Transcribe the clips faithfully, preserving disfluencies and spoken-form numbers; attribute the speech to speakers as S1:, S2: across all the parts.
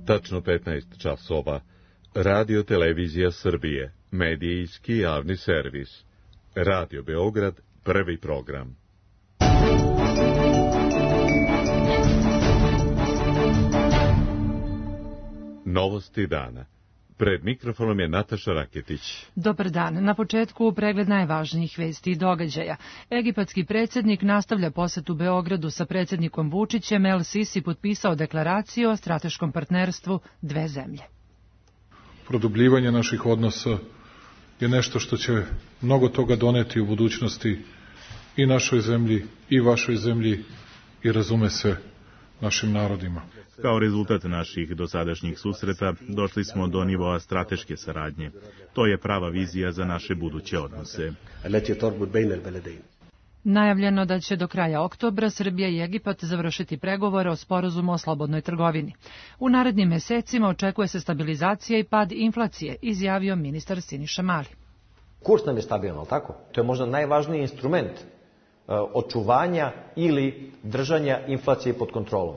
S1: Tačno petnaest časova. Radio Televizija Srbije, medijski javni servis. Radio Beograd, prvi program. Novosti dana. Pred mikrofonom je Nataša Raketić.
S2: Dobar dan. Na početku pregled najvažnijih vesti i događaja. Egipatski predsjednik nastavlja posetu Beogradu sa predsjednikom Vučićem. El Sisi potpisao deklaraciju o strateškom partnerstvu dve zemlje.
S3: Produbljivanje naših odnosa je nešto što će mnogo toga doneti u budućnosti i našoj zemlji i vašoj zemlji i, razume se, našim narodima.
S4: Kao rezultat naših dosadašnjih susreta došli smo do nivoa strateške saradnje. To je prava vizija za naše buduće odnose.
S2: Najavljeno da će do kraja oktobra Srbija i Egipat završiti pregovore o sporazumu o slobodnoj trgovini. U narednim mesecima očekuje se stabilizacija i pad inflacije, izjavio ministar Siniša Mali.
S5: Kurs nam je stabilan, ali tako? To je možda najvažniji instrument očuvanja ili držanja inflacije pod kontrolom.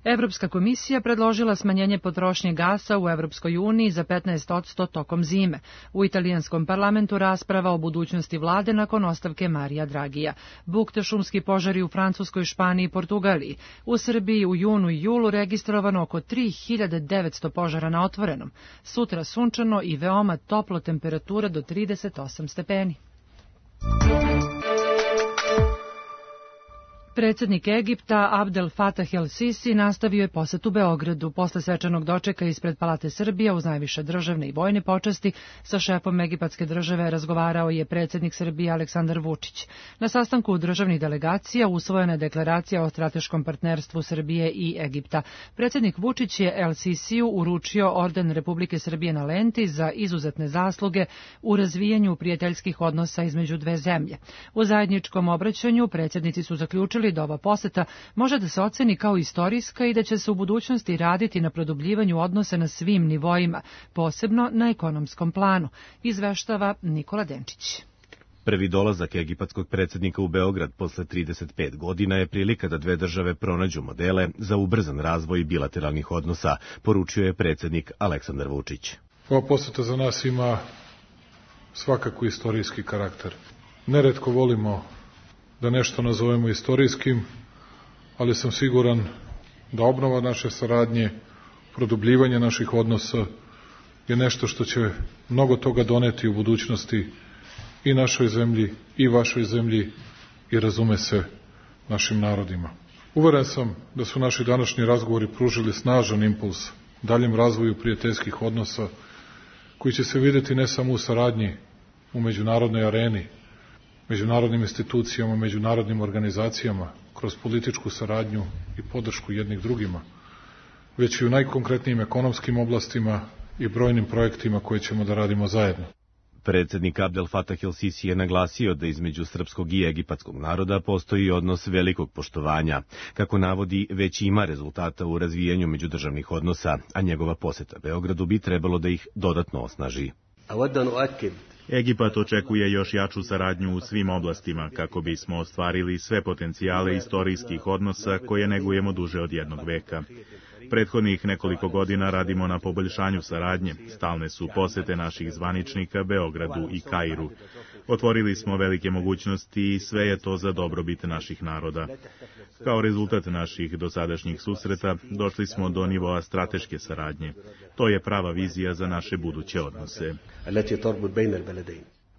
S2: Evropska komisija predložila smanjenje potrošnje gasa u Evropskoj uniji za petnaest posto tokom zime. U italijanskom parlamentu rasprava o budućnosti vlade nakon ostavke Marija Dragija. Bukte šumski požari u Francuskoj, Španiji i Portugaliji. U Srbiji u junu i julu registrovano oko tri hiljade devetsto požara na otvorenom. Sutra sunčano i veoma toplo, temperatura do trideset osam stepeni. Predsjednik Egipta Abdel Fattah el Sisi nastavio je posetu Beogradu. Posle svečanog dočeka ispred Palate Srbije uz najviše državne i vojne počasti sa šefom egipatske države razgovarao je predsjednik Srbije Aleksandar Vučić. Na sastanku državnih delegacija usvojena je deklaracija o strateškom partnerstvu Srbije i Egipta. Predsjednik Vučić je El Sisiju uručio orden Republike Srbije na lenti za izuzetne zasluge u razvijanju prijateljskih odnosa između dve zemlje. U zajedničkom obraćanju predsjednici su zaključili da ova poseta može da se oceni kao istorijska i da će se u budućnosti raditi na produbljivanju odnosa na svim nivoima, posebno na ekonomskom planu, izveštava Nikola Denčić.
S6: Prvi dolazak egipatskog predsjednika u Beograd posle trideset pet godina je prilika da dve države pronađu modele za ubrzan razvoj bilateralnih odnosa, poručio je predsjednik Aleksandar Vučić.
S3: Ova poseta za nas ima svakako istorijski karakter. Neretko volimo da nešto nazovemo istorijskim, ali sam siguran da obnova naše saradnje, produbljivanje naših odnosa je nešto što će mnogo toga doneti u budućnosti i našoj zemlji i vašoj zemlji i, razume se, našim narodima. Uveren sam da su naši današnji razgovori pružili snažan impuls daljem razvoju prijateljskih odnosa koji će se videti ne samo u saradnji u međunarodnoj areni, međunarodnim institucijama, međunarodnim organizacijama, kroz političku saradnju i podršku jednih drugima, već i u najkonkretnijim ekonomskim oblastima i brojnim projektima koje ćemo da radimo zajedno.
S6: Predsjednik Abdel Fattah el Sisi je naglasio da između srpskog i egipatskog naroda postoji odnos velikog poštovanja. Kako navodi, već ima rezultata u razvijanju međudržavnih odnosa, a njegova poseta Beogradu bi trebalo da ih dodatno osnaži.
S4: Egipat očekuje još jaču saradnju u svim oblastima kako bismo ostvarili sve potencijale istorijskih odnosa koje negujemo duže od jednog veka. Prethodnih nekoliko godina radimo na poboljšanju saradnje. Stalne su posete naših zvaničnika Beogradu i Kairu. Otvorili smo velike mogućnosti i sve je to za dobrobit naših naroda. Kao rezultat naših dosadašnjih susreta došli smo do nivoa strateške saradnje. To je prava vizija za naše buduće odnose.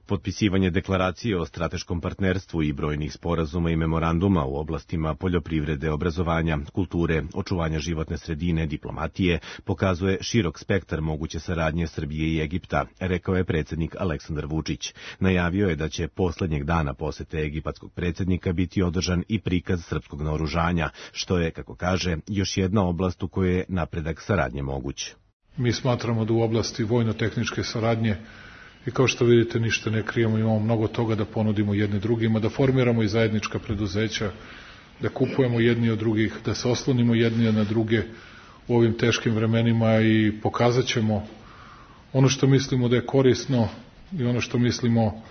S6: Potpisivanje deklaracije o strateškom partnerstvu i brojnih sporazuma i memoranduma u oblastima poljoprivrede, obrazovanja, kulture, očuvanja životne sredine, diplomatije pokazuje širok spektar moguće saradnje Srbije i Egipta, rekao je predsjednik Aleksandar Vučić. Najavio je da će poslednjeg dana posete egipatskog predsjednika biti održan i prikaz srpskog naoružanja, što je, kako kaže, još jedna oblast u kojoj je napredak saradnje moguć.
S3: Mi smatramo da u oblasti vojno-tehničke saradnje i kao što vidite ništa ne krijemo, imamo mnogo toga da ponudimo jedni drugima, da formiramo i zajednička preduzeća, da kupujemo jedni od drugih, da se oslonimo jedni na druge u ovim teškim vremenima i pokazat ćemo ono što mislimo da je korisno i ono što mislimo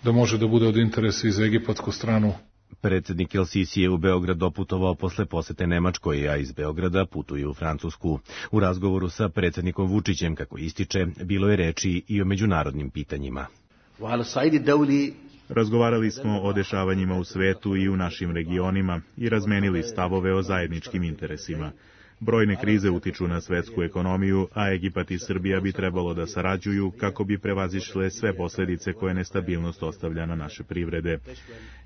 S3: da može da bude od interesa i za egipatsku stranu.
S6: Predsjednik El Sisi je u Beograd doputovao posle posete Nemačkoj, a iz Beograda putuje u Francusku. U razgovoru sa predsjednikom Vučićem, kako ističe, bilo je reči i o međunarodnim pitanjima.
S4: Razgovarali smo o dešavanjima u svetu i u našim regionima i razmenili stavove o zajedničkim interesima. Brojne krize utiču na svetsku ekonomiju, a Egipat i Srbija bi trebalo da sarađuju kako bi prevazišle sve posledice koje nestabilnost ostavlja na naše privrede.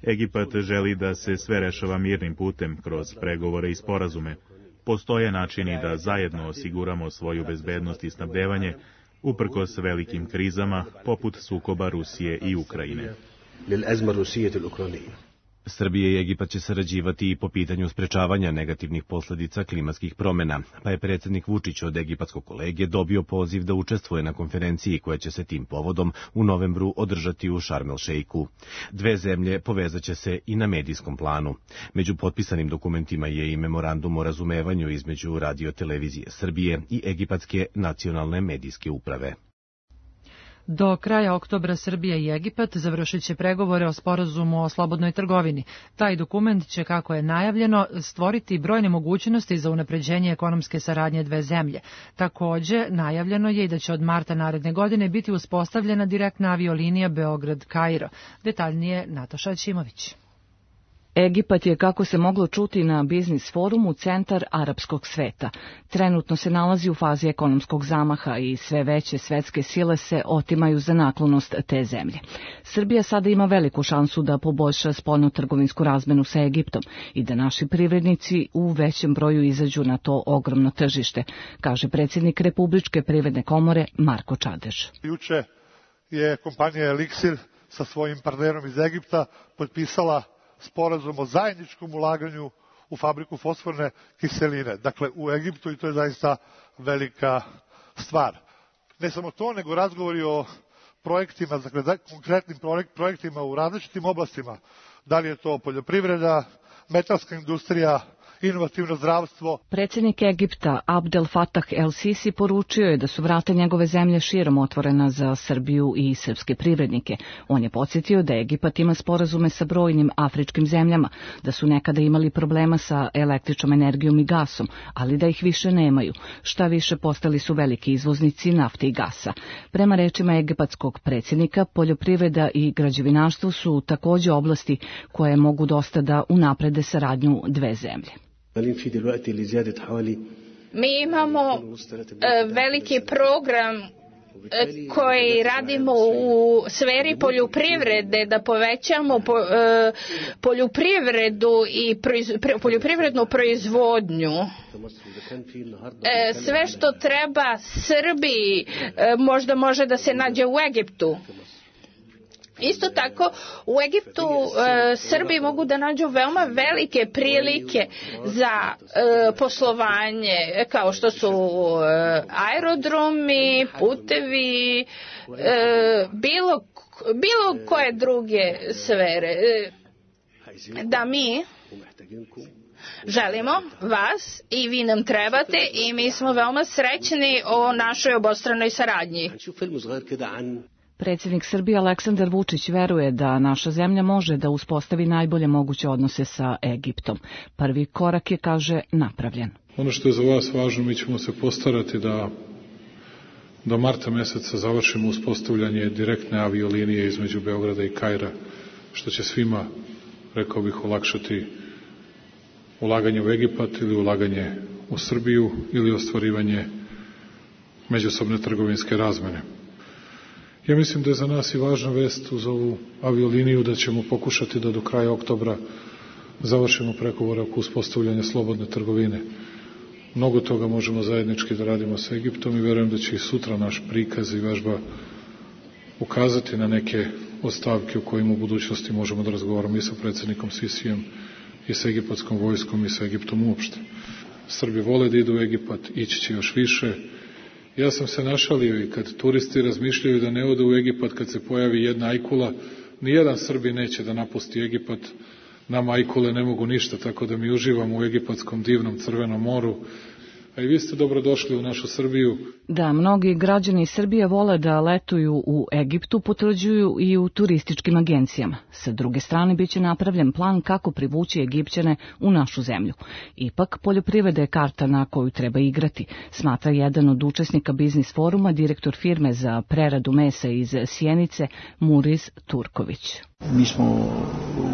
S4: Egipat želi da se sve rešava mirnim putem, kroz pregovore i sporazume. Postoje načini da zajedno osiguramo svoju bezbednost i snabdevanje, uprkos velikim krizama, poput sukoba Rusije i Ukrajine.
S6: Srbija i Egipat će sarađivati i po pitanju sprečavanja negativnih posledica klimatskih promjena, pa je predsjednik Vučić od egipatskog kolege dobio poziv da učestvuje na konferenciji koja će se tim povodom u novembru održati u Šarm el Šeiku. Dve zemlje povezat će se i na medijskom planu. Među potpisanim dokumentima je i memorandum o razumevanju između Radio-televizije Srbije i Egipatske nacionalne medijske uprave.
S2: Do kraja oktobra Srbija i Egipat završit će pregovore o sporazumu o slobodnoj trgovini. Taj dokument će, kako je najavljeno, stvoriti brojne mogućnosti za unapređenje ekonomske saradnje dve zemlje. Takođe, najavljeno je i da će od marta naredne godine biti uspostavljena direktna aviolinija Beograd-Kairo. Detaljnije Nataša Ćimović.
S7: Egipat je, kako se moglo čuti na biznis forumu, centar arapskog sveta. Trenutno se nalazi u fazi ekonomskog zamaha i sve veće svetske sile se otimaju za naklonost te zemlje. Srbija sada ima veliku šansu da poboljša spoljnotrgovinsku razmenu sa Egiptom i da naši privrednici u većem broju izađu na to ogromno tržište, kaže predsjednik Republičke privredne komore Marko Čadež.
S8: Juče je kompanija Elixir sa svojim partnerom iz Egipta potpisala sporazum o zajedničkom ulaganju u fabriku fosforne kiseline, dakle u Egiptu, i to je zaista velika stvar. Ne samo to, nego razgovori o projektima, dakle konkretnim projektima u različitim oblastima, da li je to poljoprivreda, metalska industrija, inovativno zdravstvo.
S7: Predsjednik Egipta Abdel Fattah el Sisi poručio je da su vrata njegove zemlje širom otvorena za Srbiju i srpske privrednike. On je podsjetio da Egipat ima sporazume sa brojnim afričkim zemljama, da su nekada imali problema sa električnom energijom i gasom, ali da ih više nemaju. Šta više, postali su veliki izvoznici nafte i gasa. Prema rečima egipatskog predsjednika, poljoprivreda i građevinarstvo su takođe oblasti koje mogu dosta da unaprede saradnju dve zemlje.
S9: Mi imamo veliki program koji radimo u sferi poljoprivrede, da povećamo poljoprivredu i poljoprivrednu proizvodnju. Sve što treba Srbiji možda može da se nađe u Egiptu. Isto tako, u Egiptu e, Srbi mogu da nađu veoma velike prilike za e, poslovanje, kao što su e, aerodromi, putevi, e, bilo, bilo koje druge sfere. E, da mi želimo vas i vi nam trebate i mi smo veoma srećni o našoj obostranoj saradnji.
S7: Predsjednik Srbije Aleksandar Vučić veruje da naša zemlja može da uspostavi najbolje moguće odnose sa Egiptom. Prvi korak je, kaže, napravljen.
S3: Ono što je za vas važno, mi ćemo se postarati da do marta meseca završimo uspostavljanje direktne aviolinije između Beograda i Kaira, što će svima, rekao bih, olakšati ulaganje u Egipat ili ulaganje u Srbiju ili ostvarivanje međusobne trgovinske razmene. Ja mislim da je za nas i važna vest uz ovu avioliniju da ćemo pokušati da do kraja oktobra završimo pregovore oko uspostavljanja slobodne trgovine. Mnogo toga možemo zajednički da radimo sa Egiptom i verujem da će i sutra naš prikaz i vežba ukazati na neke od stavke u kojima u budućnosti možemo da razgovaramo i sa predsjednikom Sisijem i sa egipatskom vojskom i sa Egiptom uopšte. Srbi vole da idu u Egipat, ići će još više. Ja sam se našalio i kad turisti razmišljaju da ne odu u Egipat kad se pojavi jedna ajkula, nijedan Srbi neće da napusti Egipat, nama ajkule ne mogu ništa, tako da mi uživamo u egipatskom divnom crvenom moru, a i vi ste dobrodošli u našu Srbiju.
S7: Da, mnogi građani Srbije vole da letuju u Egiptu, potvrđuju i u turističkim agencijama. Sa druge strane, biće napravljen plan kako privući Egipćane u našu zemlju. Ipak, poljoprivreda je karta na koju treba igrati, smatra jedan od učesnika biznis foruma, direktor firme za preradu mesa iz Sjenice, Muriz Turković.
S10: Mi smo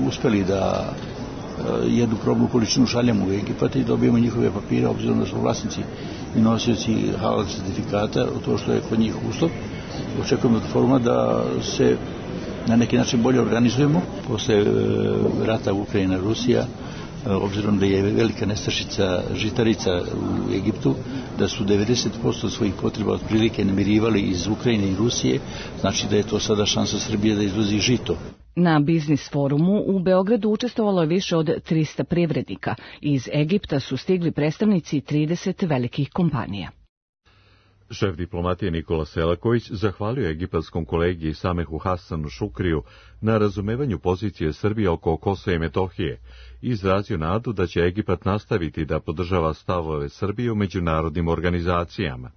S10: uspeli da jednu probnu količinu šaljamo u Egipat i dobijemo njihove papire, obzirom da su vlasnici i nosioci halal certifikata, to što je kod njih uslov. Očekujemo od foruma da se na neki način bolje organizujemo. Posle rata Ukrajina-Rusija, obzirom da je velika nestašica žitarica u Egiptu, da su devedeset posto svojih potreba otprilike namirivali iz Ukrajine i Rusije, znači da je to sada šansa Srbije da izvozi žito.
S7: Na biznis forumu u Beogradu učestvovalo je više od trista privrednika. Iz Egipta su stigli predstavnici trideset velikih kompanija.
S1: Šef diplomatije Nikola Selaković zahvalio egipatskom kolegi Samehu Hasanu Šukriju na razumevanju pozicije Srbije oko Kosova i Metohije i izrazio nadu da će Egipat nastaviti da podržava stavove Srbije u međunarodnim organizacijama.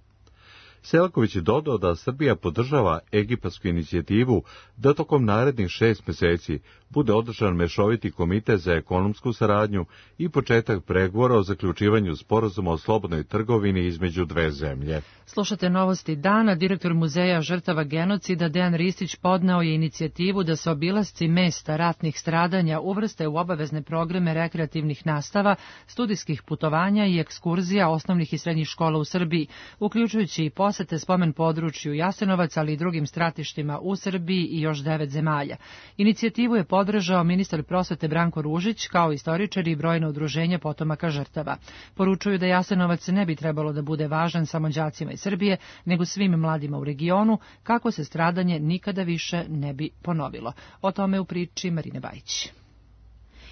S1: Selaković je dodao da Srbija podržava egipatsku inicijativu da tokom narednih šest meseci bude održan mešoviti komitet za ekonomsku saradnju i početak pregovora o zaključivanju sporazuma o slobodnoj trgovini između dve zemlje.
S2: Slušate novosti dana. Direktor Muzeja žrtava genocida Dejan Ristić podneo je inicijativu da se obilasci mesta ratnih stradanja uvrste u obavezne programe rekreativnih nastava, studijskih putovanja i ekskurzija osnovnih i srednjih škola u Srbiji, uključujući i posete spomen području Jasenovac, ali i drugim stratištima u Srbiji i još devet zemalja. Inicijativu je podržao ministar prosvete Branko Ružić, kao istoričari i brojna udruženja potomaka žrtava. Poručuju da Jasenovac ne bi trebalo da bude važan samo đacima iz Srbije, nego svim mladima u regionu, kako se stradanje nikada više ne bi ponovilo. O tome u priči Marine Bajić.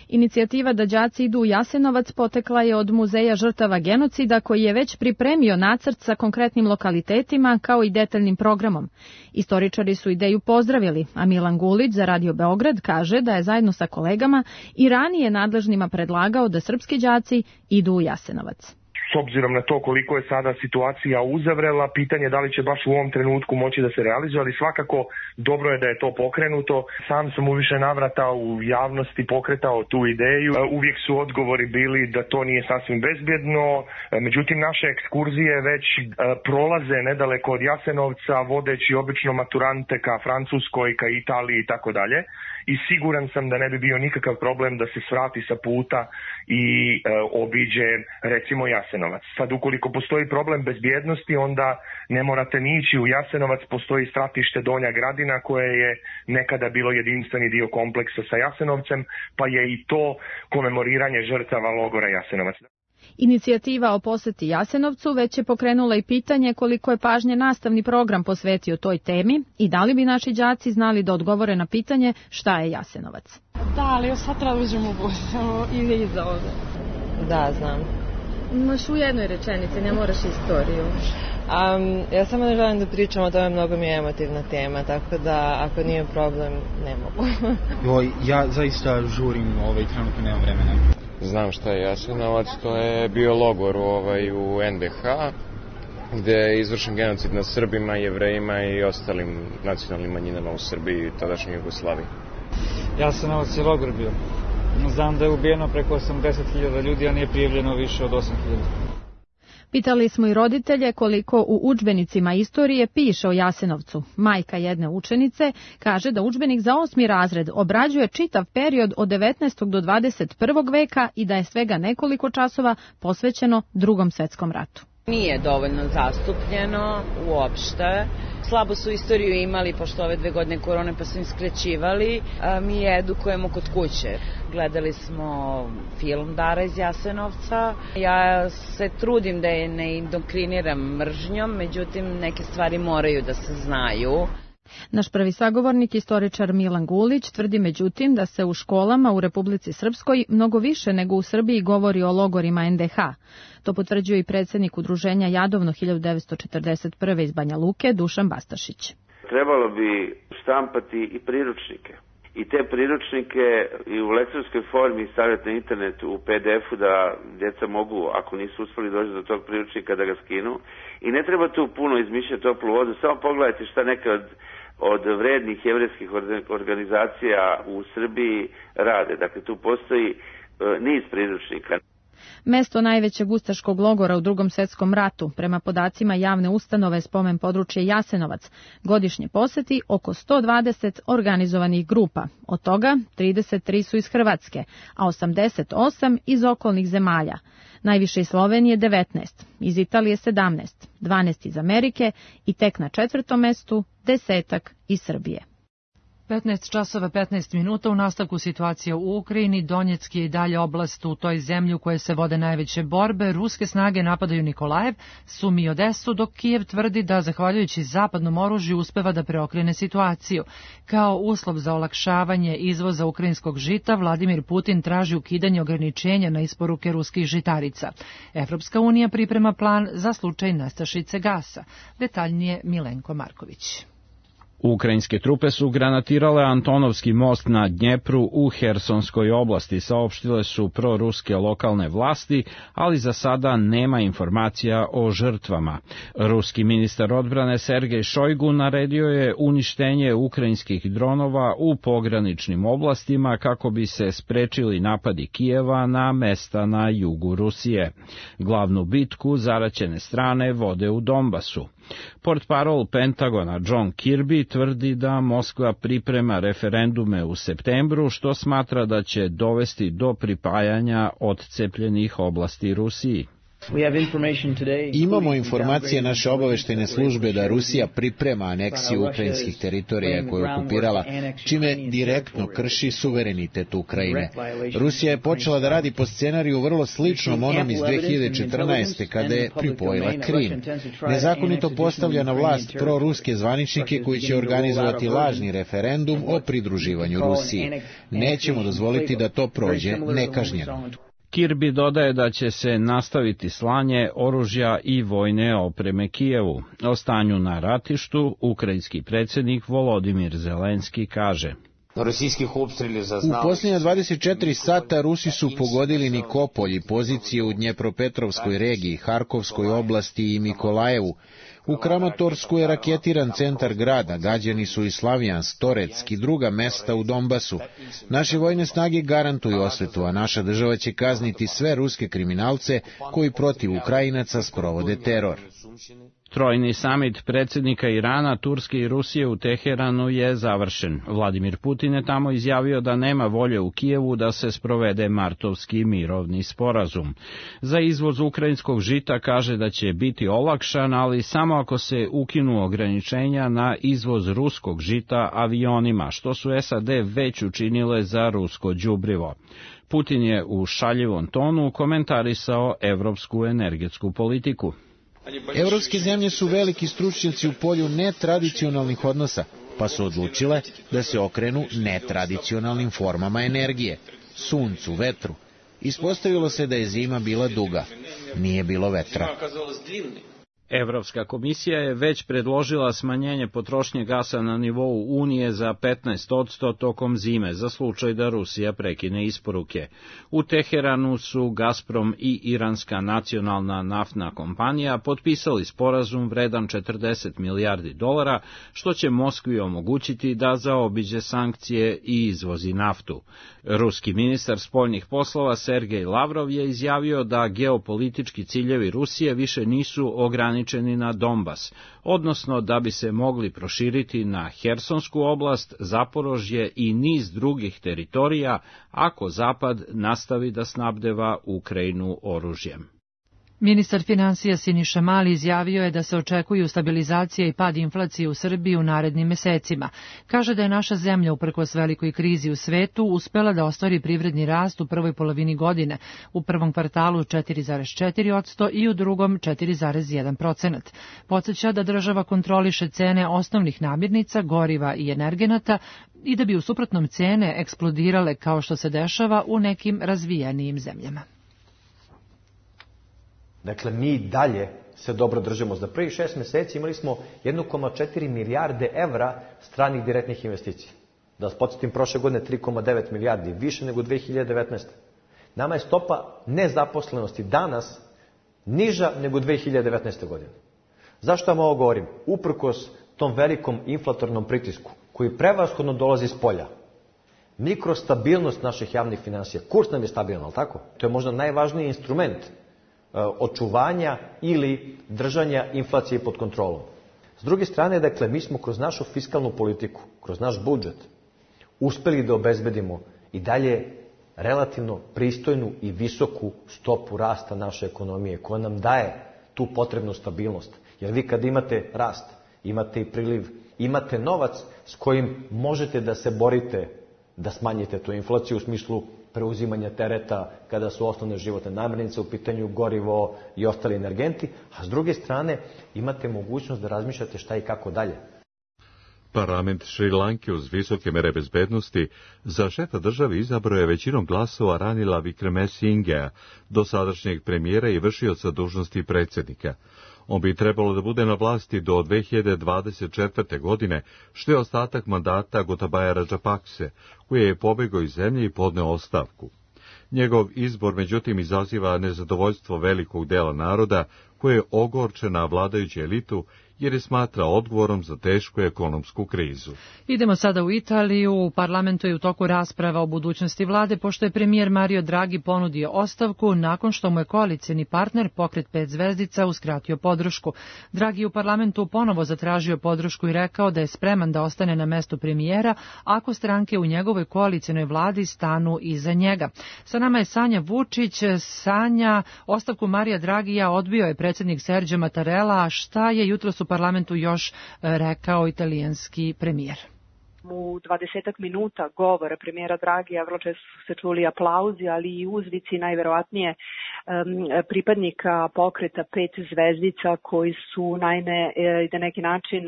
S11: Inicijativa da đaci idu u Jasenovac potekla je od Muzeja žrtava genocida, koji je već pripremio nacrt sa konkretnim lokalitetima kao i detaljnim programom. Istoričari su ideju pozdravili, a Milan Gulić za Radio Beograd kaže da je zajedno sa kolegama i ranije nadležnima predlagao da srpski đaci idu u Jasenovac.
S12: S obzirom na to koliko je sada situacija uzavrela, pitanje da li će baš u ovom trenutku moći da se realizuje, ali svakako dobro je da je to pokrenuto. Sam sam u više navrata u javnosti pokretao tu ideju. Uvijek su odgovori bili da to nije sasvim bezbjedno, međutim naše ekskurzije već prolaze nedaleko od Jasenovca, vodeći obično maturante ka Francuskoj, ka Italiji i tako dalje. I siguran sam da ne bi bio nikakav problem da se svrati sa puta i e, obiđe recimo Jasenovac. Sad ukoliko postoji problem bezbjednosti, onda ne morate ni ići u Jasenovac, postoji stratište Donja Gradina koje je nekada bilo jedinstveni dio kompleksa sa Jasenovcem, pa je i to komemoriranje žrtava logora Jasenovac.
S11: Inicijativa o poseti Jasenovcu već je pokrenula i pitanje koliko je pažnje nastavni program posvetio toj temi i da li bi naši đaci znali da odgovore na pitanje šta je Jasenovac.
S13: Da, ali još sad treba uđemo u bus i iza ovde.
S14: Da, znam.
S13: Možeš u jednoj rečenici, ne moraš istoriju.
S14: Um, ja samo ne želim da pričam o tome, mnogo mi je emotivna tema, tako da ako nije problem, ne mogu.
S15: Jo, ja zaista žurim, ovaj, trenutno nemam vremena.
S16: Znam šta je Jasenovac, to je bio logor ovaj, u en de ha, gde je izvršen genocid nad Srbima, Jevrejima i ostalim nacionalnim manjinama u Srbiji i tadašnjoj Jugoslaviji.
S15: Jasenovac je logor bio. Znam da je ubijeno preko osamdeset hiljada ljudi, a nije prijavljeno više od osam hiljada.
S11: Pitali smo i roditelje koliko u udžbenicima istorije piše o Jasenovcu. Majka jedne učenice kaže da udžbenik za osmi razred obrađuje čitav period od devetnaestog do dvadeset prvog veka i da je svega nekoliko časova posvećeno Drugom svetskom ratu.
S17: Nije dovoljno zastupljeno uopšte. Slabo su istoriju imali, pošto ove dve godine korone pa su im skrećivali. Mi je edukujemo kod kuće. Gledali smo film Dara iz Jasenovca. Ja se trudim da je ne indoktriniram mržnjom, međutim neke stvari moraju da se znaju.
S11: Naš prvi sagovornik, istoričar Milan Gulić, tvrdi međutim da se u školama u Republici Srpskoj mnogo više nego u Srbiji govori o logorima en de ha. To potvrđuje i predsjednik udruženja Jadovno hiljadu devetsto četrdeset prve iz Banja Luke, Dušan Bastašić.
S18: Trebalo bi štampati i priručnike i te priručnike i u elektronskoj formi stavljati na internet u pe de efu da djeca mogu, ako nisu uspeli doći do tog priručnika, da ga skinu. I ne treba tu puno izmišljati toplu vodu, samo pogledajte šta neke od, od vrednih jevrejskih organizacija u Srbiji rade. Dakle, tu postoji uh, niz priručnika.
S11: Mesto najvećeg ustaškog logora u Drugom svjetskom ratu, prema podacima javne ustanove Spomen područje Jasenovac, godišnje poseti oko sto dvadeset organizovanih grupa. Od toga trideset tri su iz Hrvatske, a osamdeset osam iz okolnih zemalja. Najviše iz Slovenije devetnaest, iz Italije sedamnaest, dvanaest iz Amerike i tek na četvrtom mestu desetak iz Srbije.
S2: petnaest časova petnaest minuta. U nastavku situacije u Ukrajini. Donjeck je i dalje oblast u toj zemlji u kojoj se vode najveće borbe. Ruske snage napadaju Nikolajev, Sumi i Odesu, dok Kijev tvrdi da, zahvaljujući zapadnom oružju, uspeva da preokrene situaciju. Kao uslov za olakšavanje izvoza ukrajinskog žita, Vladimir Putin traži ukidanje ograničenja na isporuke ruskih žitarica. Evropska unija priprema plan za slučaj nestašice gasa. Detaljnije Milenko Marković.
S19: Ukrajinske trupe su granatirale Antonovski most na Dnjepru u Hersonskoj oblasti, saopštile su proruske lokalne vlasti, ali za sada nema informacija o žrtvama. Ruski ministar odbrane Sergej Šojgu naredio je uništenje ukrajinskih dronova u pograničnim oblastima kako bi se sprečili napadi Kijeva na mesta na jugu Rusije. Glavnu bitku zaraćene strane vode u Donbasu. Portparol Pentagona John Kirby tvrdi da Moskva priprema referendume u septembru, što smatra da će dovesti do pripajanja odcepljenih oblasti Rusiji.
S20: Imamo informacije naše obaveštajne službe da Rusija priprema aneksiju ukrajinskih teritorija koje je okupirala, čime direktno krši suverenitet Ukrajine. Rusija je počela da radi po scenariju vrlo sličnom onom iz dve hiljade četrnaeste. kada je pripojila Krim. Nezakonito postavlja na vlast proruske zvaničnike koji će organizovati lažni referendum o pridruživanju Rusiji. Nećemo dozvoliti da to prođe nekažnjeno.
S19: Kirby dodaje da će se nastaviti slanje oružja i vojne opreme Kijevu. O stanju na ratištu ukrajinski predsjednik Volodimir Zelenski kaže:
S20: U posljednja dvadeset četiri sata Rusi su pogodili Nikopolj i pozicije u Dnjepropetrovskoj regiji, Harkovskoj oblasti i Mikolajevu. U Kramatorsku je raketiran centar grada, gađani su i Slavjansk, Toretsk i druga mesta u Donbasu. Naše vojne snage garantuju osvetu, a naša država će kazniti sve ruske kriminalce koji protiv Ukrajinaca sprovode teror.
S19: Trojni samit predsjednika Irana, Turske i Rusije u Teheranu je završen. Vladimir Putin je tamo izjavio da nema volje u Kijevu da se sprovede martovski mirovni sporazum. Za izvoz ukrajinskog žita kaže da će biti olakšan, ali samo ako se ukinu ograničenja na izvoz ruskog žita avionima, što su es a de već učinile za rusko đubrivo. Putin je u šaljivom tonu komentarisao evropsku energetsku politiku.
S20: Evropske zemlje su veliki stručnjaci u polju netradicionalnih odnosa, pa su odlučile da se okrenu netradicionalnim formama energije, suncu, vetru. Ispostavilo se da je zima bila duga, nije bilo vetra.
S19: Evropska komisija je već predložila smanjenje potrošnje gasa na nivou Unije za petnaest posto tokom zime, za slučaj da Rusija prekine isporuke. U Teheranu su Gazprom i Iranska nacionalna naftna kompanija potpisali sporazum vredan četrdeset milijardi dolara, što će Moskvi omogućiti da zaobiđe sankcije i izvozi naftu. Ruski ministar spoljnih poslova Sergej Lavrov je izjavio da geopolitički ciljevi Rusije više nisu ograničeni na Donbas, odnosno da bi se mogli proširiti na Hersonsku oblast, Zaporožje i niz drugih teritorija ako Zapad nastavi da snabdeva Ukrajinu oružjem.
S2: Ministar finansija Siniša Mali izjavio je da se očekuju stabilizacija i pad inflacije u Srbiji u narednim mesecima. Kaže da je naša zemlja, uprkos velikoj krizi u svetu, uspela da ostvari privredni rast u prvoj polovini godine, u prvom kvartalu četiri zarez četiri posto i u drugom četiri zarez jedan posto. Podseća da država kontroliše cene osnovnih namirnica, goriva i energenata i da bi u suprotnom cene eksplodirale kao što se dešava u nekim razvijenijim zemljama.
S5: Dakle, mi dalje se dobro držimo. Za prvih šest meseci imali smo jedan zarez četiri milijarde evra stranih direktnih investicija. Da vas podsjetim, prošle godine tri zarez devet milijardi, više nego dve hiljade devetnaeste. Nama je stopa nezaposlenosti danas niža nego dve hiljade devetnaeste. godine. Zašto vam ovo govorim? Uprkos tom velikom inflatornom pritisku, koji prevashodno dolazi iz polja, mikrostabilnost naših javnih finansija, kurs nam je stabilan, ali tako? To je možda najvažniji instrument očuvanja ili držanja inflacije pod kontrolom. S druge strane, dakle, mi smo kroz našu fiskalnu politiku, kroz naš budžet, uspeli da obezbedimo i dalje relativno pristojnu i visoku stopu rasta naše ekonomije, koja nam daje tu potrebnu stabilnost. Jer vi kad imate rast, imate i priliv, imate novac s kojim možete da se borite da smanjite tu inflaciju u smislu preuzimanja tereta kada su osnovne životne namirnice u pitanju, gorivo i ostali energenti, a s druge strane imate mogućnost da razmišljate šta i kako dalje.
S1: Parlament Šrilanke uz visoke mere bezbednosti za šefa države izabrao je većinom glasova Ranila Wickremesingea, dosadašnjeg premijera i vršioca dužnosti predsjednika. On bi trebalo da bude na vlasti do dve hiljade dvadeset četvrte. godine, što je ostatak mandata Gotabaya Rajapakse, koji je pobegao iz zemlje i podneo ostavku. Njegov izbor, međutim, izaziva nezadovoljstvo velikog dela naroda, koje je ogorčena vladajuću elitu, jer je smatra odgovorom za tešku ekonomsku krizu.
S2: Idemo sada u Italiju. U parlamentu je u toku rasprava o budućnosti vlade, pošto je premijer Mario Draghi ponudio ostavku nakon što mu je koalicioni partner Pokret pet zvezdica uskratio podršku. Draghi u parlamentu ponovo zatražio podršku i rekao da je spreman da ostane na mestu premijera ako stranke u njegovoj koalicionoj vladi stanu iza njega. Sa nama je Sanja Vučić. Sanja, ostavku Marija Draghija odbio je predsjednik Sergio Mattarella, a šta je jutros u parlamentu još rekao italijanski premijer?
S21: U dvadesetak minuta govora premijera Draghija vrlo često su se čuli aplauzi, ali i uzvici najverovatnije um, pripadnika pokreta pet zvezdica koji su naime e, na neki način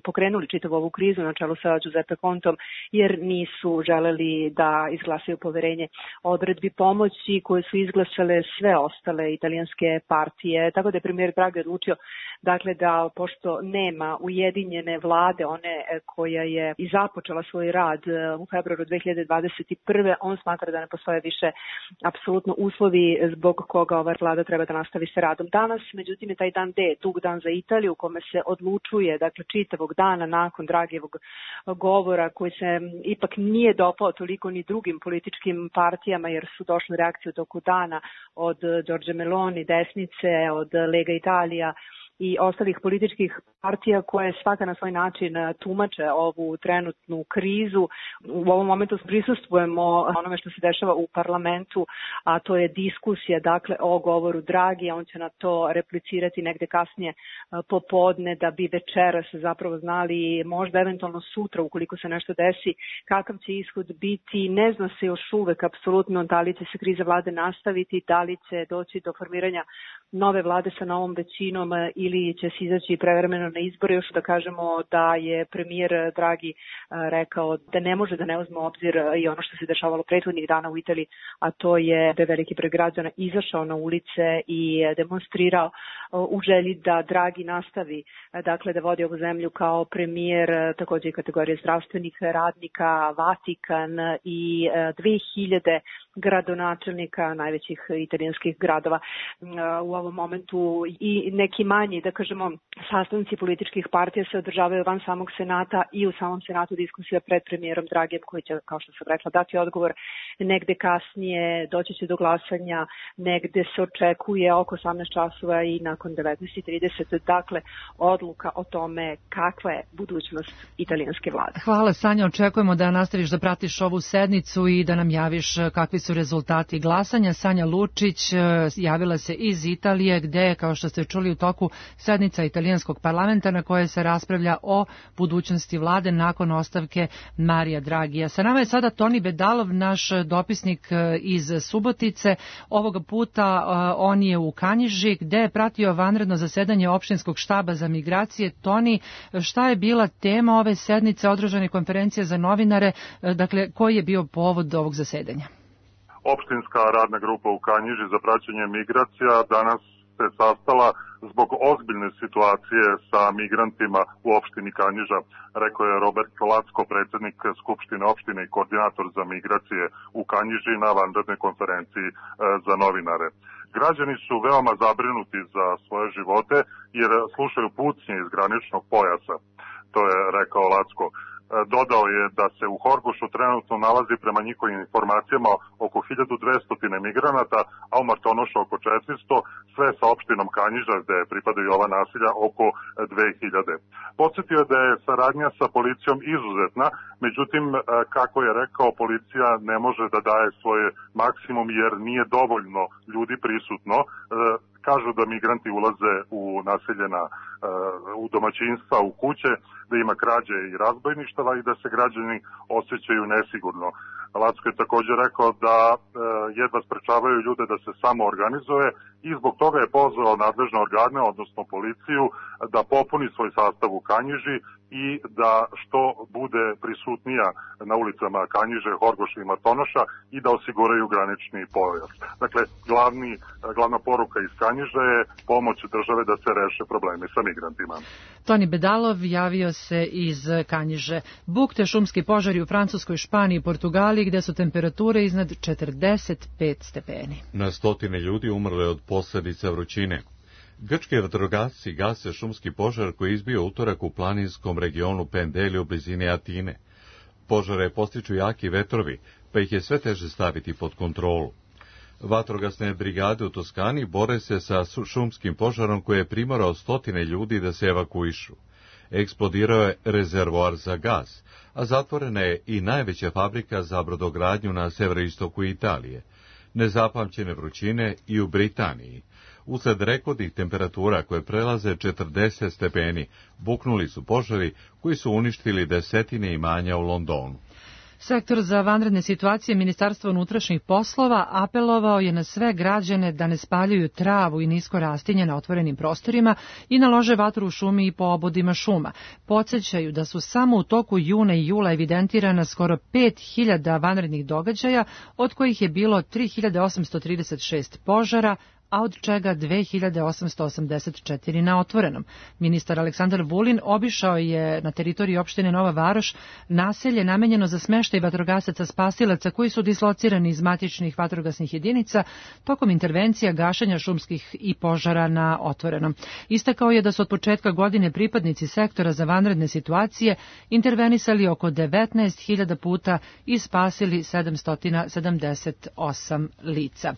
S21: pokrenuli čitavu ovu krizu na čelu sa Giuseppe Contom, jer nisu želeli da izglasaju poverenje odredbi pomoći koje su izglasale sve ostale italijanske partije. Tako da je premijer Draghi odlučio dakle da pošto nema ujedinjene vlade, one koja je i započela svoj rad u februaru dve hiljade dvadeset prve. on smatra da ne postoje više apsolutno uslovi zbog koga ova vlada treba da nastavi sa radom. Danas, međutim, je taj dan D, dug dan za Italiju, u kome se odlučuje, dakle, čitavog dana nakon Draghijevog govora, koji se ipak nije dopao toliko ni drugim političkim partijama, jer su došle reakcije u toku dana od Giorgia Meloni, desnice, od Lega Italija i ostalih političkih partija koje svaka na svoj način tumače ovu trenutnu krizu. U ovom momentu prisustvujemo onome što se dešava u parlamentu, a to je diskusija dakle o govoru Draghi, a on će na to replicirati negde kasnije popodne da bi večeras zapravo znali, možda eventualno sutra ukoliko se nešto desi, kakav će ishod biti. Ne zna se još uvek apsolutno da li će se kriza vlade nastaviti, da li će doći do formiranja nove vlade sa novom većinom ili će se izaći prevremeno na izbore. Još da kažemo da je premijer Draghi rekao da ne može da ne uzme u obzir i ono što se dešavalo prethodnih dana u Italiji, a to je da je veliki broj građana izašao na ulice i demonstrirao u želji da Draghi nastavi dakle da vodi ovu zemlju kao premijer, takođe i kategorije zdravstvenih radnika, Vatikan i dve hiljade gradonačelnika najvećih italijanskih gradova. U ovom momentu i neki manji, da kažemo, sastanci političkih partija se održavaju van samog Senata i u samom Senatu diskusija pred premijerom Draghijem koji će, kao što sam rekla, dati odgovor negde kasnije, doći će do glasanja, negde se očekuje oko osamnaest časova i nakon devetnaest i trideset. Dakle, odluka o tome kakva je budućnost italijanske vlade.
S2: Hvala, Sanja, očekujemo da nastaviš da pratiš ovu sednicu i da nam javiš kakvi su rezultati glasanja. Sanja Lučić javila se iz Italije, gde, kao što ste čuli u toku, sednica italijanskog parlamenta na kojoj se raspravlja o budućnosti vlade nakon ostavke Marija Draghija. Sa nama je sada Toni Bedalov, naš dopisnik iz Subotice. Ovoga puta on je u Kanjiži, gde je pratio vanredno zasedanje opštinskog štaba za migracije. Toni, šta je bila tema ove sednice, održane konferencije za novinare, dakle, koji je bio povod ovog zasedanja?
S22: Opštinska radna grupa u Kanjiži za praćenje migracija danas
S4: se sastala zbog ozbiljne situacije sa migrantima u opštini Kanjiža, rekao je Robert Lacko, predsjednik Skupštine opštine i koordinator za migracije u Kanjiži na vanrednoj konferenciji za novinare. Građani su veoma zabrinuti za svoje živote jer slušaju pucnje iz graničnog pojasa, to je rekao Lacko. Dodao je da se u Horgošu trenutno nalazi prema njihovim informacijama oko hiljadu dvesta migranata, a u Martonošu oko četiristo, sve sa opštinom Kanjiža gde pripadaju ova nasilja oko dve hiljade. Podsjetio je da je saradnja sa policijom izuzetna, međutim, kako je rekao, policija ne može da daje svoj maksimum jer nije dovoljno ljudi prisutno. Kažu da migranti ulaze u naseljena, u domaćinstva, u kuće, da ima krađe i razbojništava i da se građani osjećaju nesigurno. Lacko je također rekao da jedva sprečavaju ljude da se samo organizuje i zbog toga je pozvao nadležne organe, odnosno policiju, da popuni svoj sastav u Kanjiži i da što bude prisutnija na ulicama Kanjiže, Horgoša i Martonoša i da osiguraju granični pojas. Dakle, glavni, glavna poruka iz Kanjiže je pomoć države da se reše problemi sa migrantima.
S2: Toni Bedalov javio se iz Kanjiže. Bukte šumski požari u Francuskoj, Španiji i Portugaliji gde su temperature iznad četrdeset pet stepeni.
S1: Na stotine ljudi umrle od posljedica vrućine. Grčki vatrogasci gase šumski požar koji je izbio utorak u planinskom regionu Pendeli u blizini Atine. Požare postiču jaki vetrovi, pa ih je sve teže staviti pod kontrolu. Vatrogasne brigade u Toskani bore se sa šumskim požarom koji je primorao stotine ljudi da se evakuišu. Eksplodirao je rezervoar za gas, a zatvorena je i najveća fabrika za brodogradnju na severoistoku Italije. Nezapamćene vrućine i u Britaniji. Usled rekordnih temperatura koje prelaze četrdeset stepeni, buknuli su požari koji su uništili desetine imanja u Londonu.
S2: Sektor za vanredne situacije Ministarstva unutrašnjih poslova apelovao je na sve građane da ne spaljuju travu i nisko rastinje na otvorenim prostorima i nalože vatru u šumi i po obodima šuma. Podsjećaju da su samo u toku juna i jula evidentirana skoro pet hiljada vanrednih događaja, od kojih je bilo tri hiljade osamsto trideset šest požara, a od čega dve hiljade osamsto osamdeset četiri na otvorenom. Ministar Aleksandar Vulin obišao je na teritoriji opštine Nova Varoš naselje namenjeno za smeštaj vatrogasaca spasilaca koji su dislocirani iz matičnih vatrogasnih jedinica tokom intervencija gašenja šumskih i požara na otvorenom. Istakao je da su od početka godine pripadnici sektora za vanredne situacije intervenisali oko devetnaest hiljada puta i spasili sedamsto sedamdeset osam lica.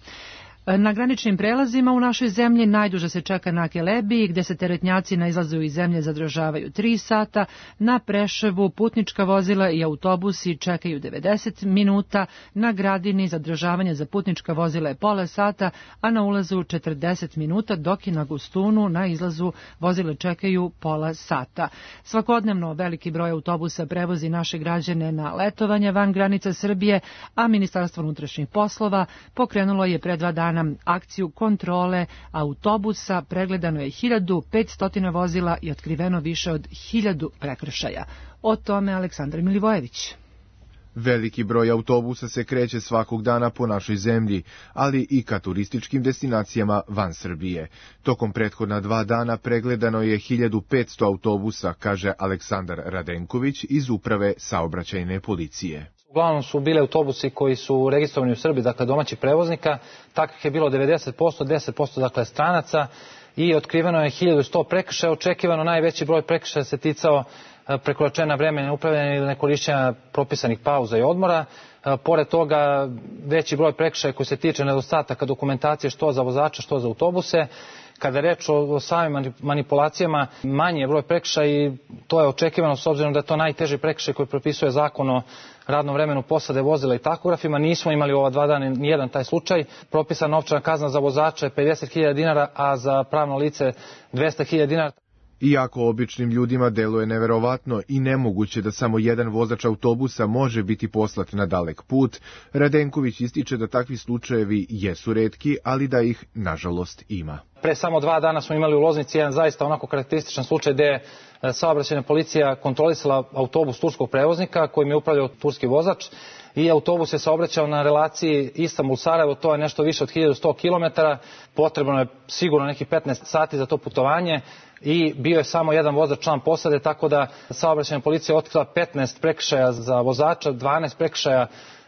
S2: Na graničnim prelazima u našoj zemlji najduže se čeka na Kelebiji, gde se teretnjaci na izlazu iz zemlje zadržavaju tri sata, na Preševu putnička vozila i autobusi čekaju devedeset minuta, na Gradini zadržavanje za putnička vozila je pola sata, a na ulazu četrdeset minuta, dok i na Gustunu na izlazu vozila čekaju pola sata. Svakodnevno veliki broj autobusa prevozi naše građane na letovanje van granica Srbije, a Ministarstvo unutrašnjih poslova pokrenulo je pre dva dana akciju kontrole autobusa, pregledano je hiljadu petsto vozila i otkriveno više od hiljadu prekršaja. O tome Aleksandar Milivojević.
S22: Veliki broj autobusa se kreće svakog dana po našoj zemlji, ali i ka turističkim destinacijama van Srbije. Tokom prethodna dva dana pregledano je hiljadu petsto autobusa, kaže Aleksandar Radenković iz Uprave saobraćajne policije.
S23: Uglavnom su bile autobusi koji su registrovani u Srbiji, dakle domaćih prevoznika, takvih je bilo devedeset posto, deset posto dakle stranaca i otkriveno je hiljadu sto prekršaja. Očekivano najveći broj prekršaja se ticao prekoračenja vremena upravljanja ili nekorišćenja propisanih pauza i odmora. Pored toga, veći broj prekršaja koji se tiče nedostataka dokumentacije što za vozača, što za autobuse. Kada je reč o samim manipulacijama, manji je broj prekršaja i to je očekivano s obzirom da je to najteži prekršaj koji propisuje zakon o radnom vremenu posade vozila i tahografima. Nismo imali u ova dva dana nijedan taj slučaj. Propisana novčana kazna za vozača je pedeset hiljada dinara, a za pravno lice dvesta hiljada dinara.
S22: Iako običnim ljudima deluje neverovatno i nemoguće da samo jedan vozač autobusa može biti poslat na dalek put, Radenković ističe da takvi slučajevi jesu retki, ali da ih, nažalost, ima.
S23: Pre samo dva dana smo imali u Loznici jedan zaista onako karakterističan slučaj gde je saobraćajna policija kontrolisala autobus turskog prevoznika kojim je upravljao turski vozač. i autobus je saobraćao na relaciji Istanbul-Sarajevo, to je nešto više od hiljadu sto kilometara, potrebno je sigurno nekih petnaest sati za to putovanje i bio je samo jedan vozač član posade, tako da saobraćajna policija otkrila petnaest prekršaja za vozača, dvanaest prekršaja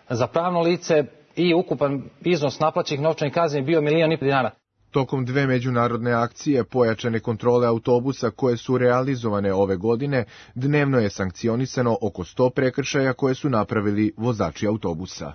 S23: za pravno lice i ukupan iznos naplaćenih novčanih kazni bio milion i po dinara.
S22: Tokom dve međunarodne akcije pojačane kontrole autobusa koje su realizovane ove godine, dnevno je sankcionisano oko sto prekršaja koje su napravili vozači autobusa.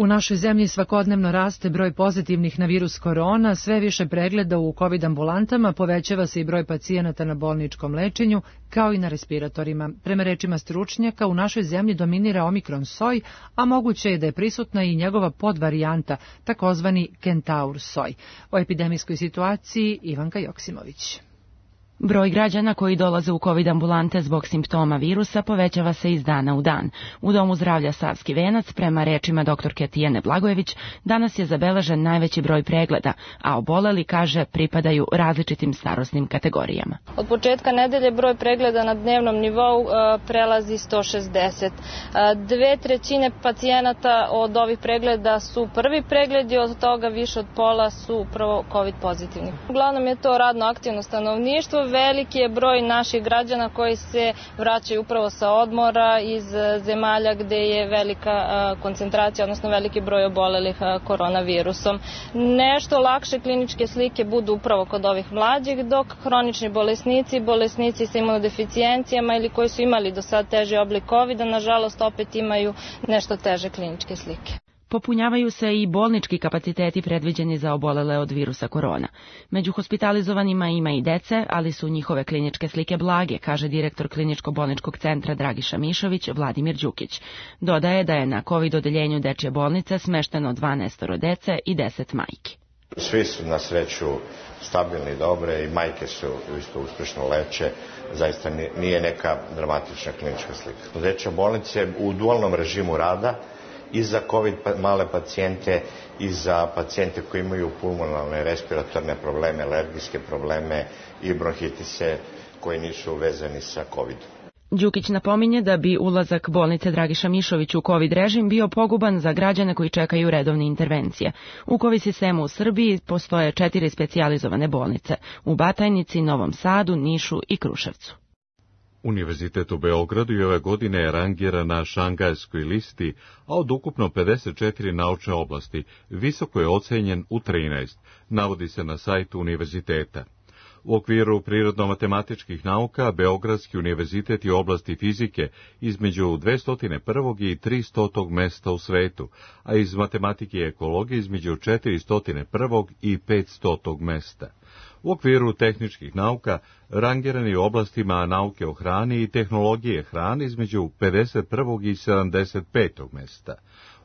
S2: U našoj zemlji svakodnevno raste broj pozitivnih na virus korona, sve više pregleda u COVID ambulantama, povećava se i broj pacijenata na bolničkom lečenju, kao i na respiratorima. Prema rečima stručnjaka, u našoj zemlji dominira omikron soj, a moguće je da je prisutna i njegova podvarijanta, takozvani kentaur soj. O epidemijskoj situaciji Ivanka Joksimović.
S6: Broj građana koji dolaze u COVID ambulante zbog simptoma virusa povećava se iz dana u dan. U Domu zdravlja Savski venac, prema rečima doktorke Tijene Blagojević, danas je zabeležen najveći broj pregleda, a oboleli, kaže, pripadaju različitim starosnim kategorijama.
S8: Od početka nedelje broj pregleda na dnevnom nivou e, prelazi sto šezdeset. E, dve trećine pacijenata od ovih pregleda su prvi pregledi, od toga više od pola su upravo COVID pozitivni. Uglavnom je to radno aktivno stanovništvo. Veliki je broj naših građana koji se vraćaju upravo sa odmora iz zemalja gde je velika koncentracija, odnosno veliki broj obolelih koronavirusom. Nešto lakše kliničke slike budu upravo kod ovih mlađih, dok hronični bolesnici, bolesnici sa imunodeficijencijama ili koji su imali do sad teži oblik kovida, nažalost opet imaju nešto teže kliničke slike.
S6: Popunjavaju se i bolnički kapaciteti predviđeni za obolele od virusa korona. Među hospitalizovanima ima i dece, ali su njihove kliničke slike blage, kaže direktor kliničko-bolničkog centra Dragiša Mišović, Vladimir Đukić. Dodaje da je na COVID odeljenju dečje bolnice smešteno dvanaest dece i deset majki.
S9: Svi su na sreću stabilni, dobre i majke su isto uspešno leče. Zaista nije neka dramatična klinička slika. Dečja bolnica je u dualnom režimu rada i za COVID male pacijente i za pacijente koji imaju pulmonalne respiratorne probleme, alergijske probleme i bronhitise koji nisu vezani sa COVID-om.
S6: Đukić napominje da bi ulazak bolnice Dragiša Mišović u COVID režim bio poguban za građane koji čekaju redovne intervencije. U COVID sistemu u Srbiji postoje četiri specijalizovane bolnice u Batajnici, Novom Sadu, Nišu i Kruševcu.
S1: Univerzitet u Beogradu i ove godine je rangiran na Šangajskoj listi, a od ukupno pedeset četiri naučne oblasti visoko je ocenjen u trinaest, navodi se na sajtu univerziteta. U okviru prirodno-matematičkih nauka, Beogradski univerzitet je u oblasti fizike između dvesta prve i tristote mesta u svetu, a iz matematike i ekologije između četiristo prve i petstote mesta. U okviru tehničkih nauka rangiran je u oblastima nauke o hrani i tehnologije hrane između pedeset prve i sedamdeset pete mesta.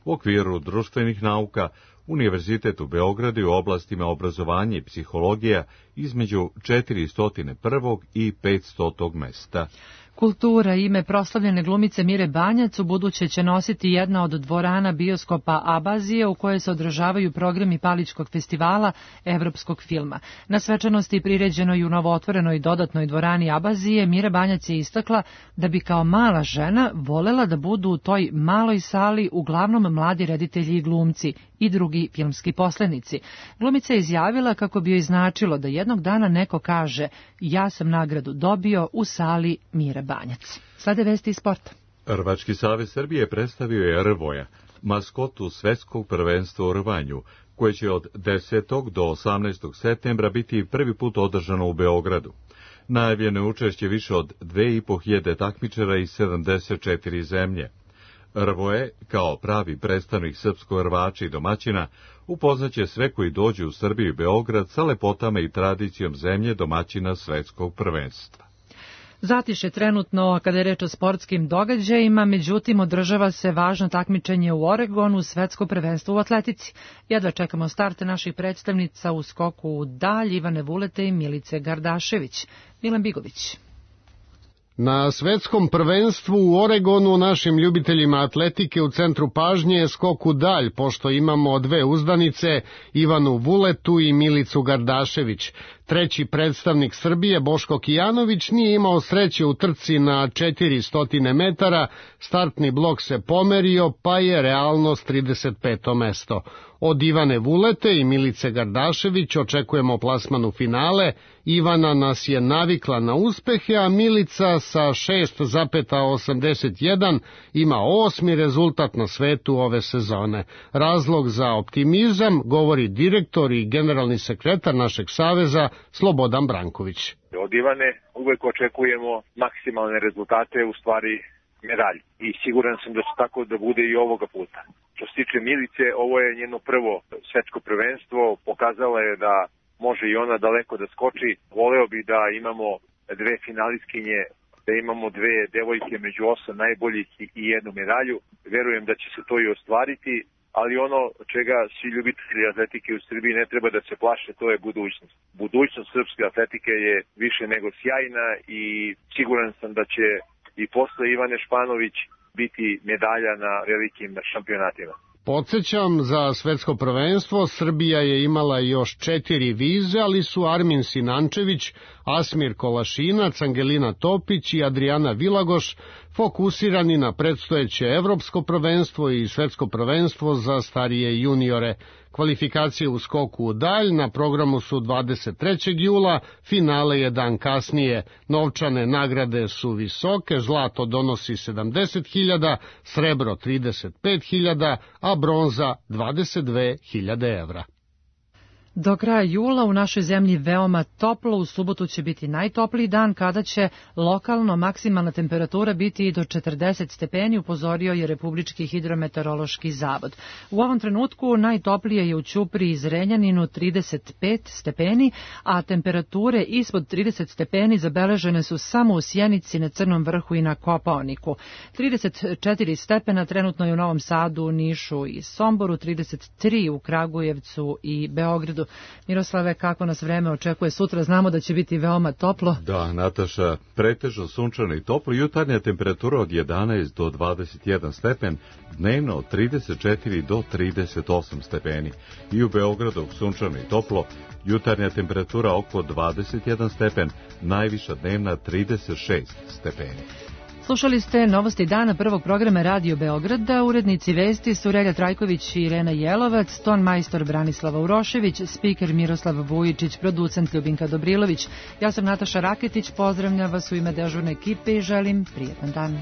S1: U okviru društvenih nauka Univerzitet u Beogradu je u oblastima obrazovanja i psihologija između četiristo prve i petstote mesta.
S2: Kultura, ime proslavljene glumice Mire Banjac u buduće će nositi jedna od dvorana bioskopa Abazije u kojoj se održavaju programi Palićkog festivala evropskog filma. Na svečanosti priređenoj u novootvorenoj dodatnoj dvorani Abazije Mire Banjac je istakla da bi kao mala žena volela da budu u toj maloj sali uglavnom mladi reditelji i glumci i drugi filmski poslenici. Glumica je izjavila kako bi joj značilo da jednog dana neko kaže ja sam nagradu dobio u sali Mire Banjac. Slede vesti iz sporta.
S1: Rvački savez Srbije predstavio je Rvoja, maskotu svetskog prvenstva u rvanju, koje će od desetog do osamnaestog septembra biti prvi put održano u Beogradu. Najavljeno je učešće više od dve i po hiljade takmičara iz sedamdeset četiri zemlje. Rvoje, kao pravi predstavnik srpskog rvača i domaćina, upoznaće sve koji dođu u Srbiju i Beograd sa lepotama i tradicijom zemlje domaćina svetskog prvenstva.
S2: Zatiše trenutno kada je reč o sportskim događajima, međutim održava se važno takmičenje u Oregonu, svetsko prvenstvo u atletici. Jedva čekamo starte naših predstavnica u skoku u dalj, Ivane Vulete i Milice Gardašević. Milan Bigović.
S3: Na svetskom prvenstvu u Oregonu našim ljubiteljima atletike u centru pažnje je skok u dalj, pošto imamo dve uzdanice, Ivanu Vuletu i Milicu Gardašević. Treći predstavnik Srbije, Boško Kijanović, nije imao sreće u trci na četiristo metara, startni blok se pomerio, pa je realnost trideset peto mesto. Od Ivane Vulete i Milice Gardašević očekujemo plasman u finale. Ivana nas je navikla na uspehe, a Milica sa šest zarez osamdeset jedan ima osmi rezultat na svetu ove sezone. Razlog za optimizam govori direktor i generalni sekretar našeg saveza Slobodan Branković.
S7: Od Ivane uvek očekujemo maksimalne rezultate, u stvari medalj. I siguran sam da će tako da bude i ovoga puta. Što se tiče Milice, ovo je njeno prvo svetsko prvenstvo, pokazala je da može i ona daleko da skoči. Voleo bi da imamo dve finalistkinje, da imamo dve devojke među osam najboljih i jednu medalju. Verujem da će se to i ostvariti, ali ono čega svi ljubitelji atletike u Srbiji ne treba da se plaše, to je budućnost. Budućnost srpske atletike je više nego sjajna i siguran sam da će i posle Ivane Španović biti medalja na velikim šampionatima.
S3: Podsećam, za svetsko prvenstvo Srbija je imala još četiri vize, ali su Armin Sinančević, Asmir Kolašinac, Angelina Topić i Adriana Vilagoš fokusirani na predstojeće evropsko prvenstvo i svetsko prvenstvo za starije juniore. Kvalifikacije u skoku u dalj na programu su dvadeset trećeg jula, finale je dan kasnije. Novčane nagrade su visoke, zlato donosi sedamdeset hiljada, srebro trideset pet hiljada, a bronza dvadeset dve hiljade evra.
S2: Do kraja jula u našoj zemlji veoma toplo, u subotu će biti najtopliji dan kada će lokalno maksimalna temperatura biti i do četrdeset stepeni, upozorio je Republički hidrometeorološki zavod. U ovom trenutku najtoplije je u Ćupriji i Zrenjaninu trideset pet stepeni, a temperature ispod trideset stepeni zabeležene su samo u Sjenici, na Crnom vrhu i na Kopaoniku. trideset četiri stepena trenutno je u Novom Sadu, Nišu i Somboru, trideset tri u Kragujevcu i Beogradu. Miroslave, kako nas vreme očekuje sutra? Znamo da će biti veoma toplo.
S1: Da, Nataša, pretežno sunčano i toplo, jutarnja temperatura od jedanaest do dvadeset jedan stepen, dnevno od trideset četiri do trideset osam stepeni. I u Beogradu sunčano i toplo, jutarnja temperatura oko dvadeset jedan stepen, najviša dnevna trideset šest stepeni.
S2: Slušali ste novosti dana prvog programa Radio Beograda. Urednici vesti su Relja Trajković i Irena Jelovac, ton majstor Branislava Urošević, spiker Miroslav Vujičić, producent Ljubinka Dobrilović. Ja sam Nataša Raketić, pozdravljam vas u ime dežurne ekipe i želim prijetan dan.